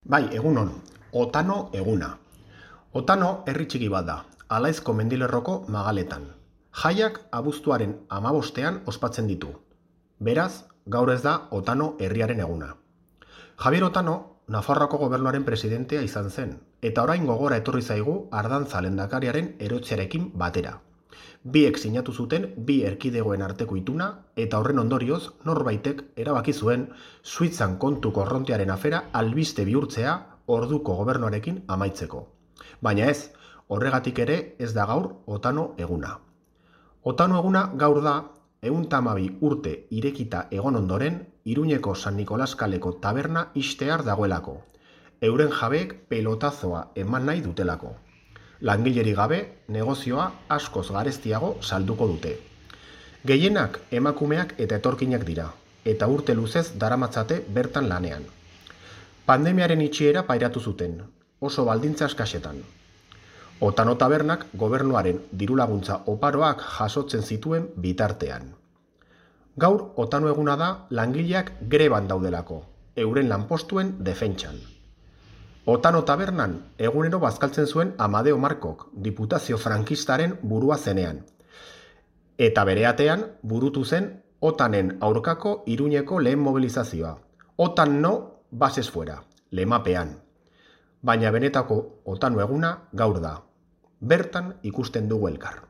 Bai, egunon, Otano eguna. Otano herri txiki bat da, Alaizko mendilerroko magaletan. Jaiak abuztuaren 15ean ospatzen ditu. Beraz, gaur ez da Otano herriaren eguna. Javier Otano, Nafarroako gobernuaren presidentea izan zen, eta orain gogora etorri zaigu Ardantza lehendakariaren erotzearekin batera. Biek sinatu zuten bi erkidegoen arteko ituna, eta horren ondorioz norbaitek erabaki zuen Suitzan kontu korrontearen afera albiste bihurtzea orduko gobernuarekin amaitzeko. Baina ez, horregatik ere ez da gaur Otano eguna. Otano eguna gaur da 112 urte irekita egon ondoren Iruñeko San Nikolas kaleko taberna ixtear dagoelako. Euren jabeek pelotazoa eman nahi dutelako. Langileri gabe, negozioa askoz garestiago salduko dute. Gehienak emakumeak eta etorkinak dira, eta urte luzez daramatzate bertan lanean. Pandemiaren itxiera pairatu zuten, oso baldintza eskasetan. Otano tabernak gobernuaren dirulaguntza oparoak jasotzen zituen bitartean. Gaur Otano eguna da langileak greban daudelako, euren lanpostuen defentsan. Otano tabernan egunero bazkaltzen zuen Amadeo Markok, diputazio frankistaren burua zenean. Eta bereatean burutu zen Otanen aurkako Iruñeko lehen mobilizazioa. Otan no, bases fuera, lemapean. Baina benetako Otano eguna gaur da. Bertan ikusten dugu elkar.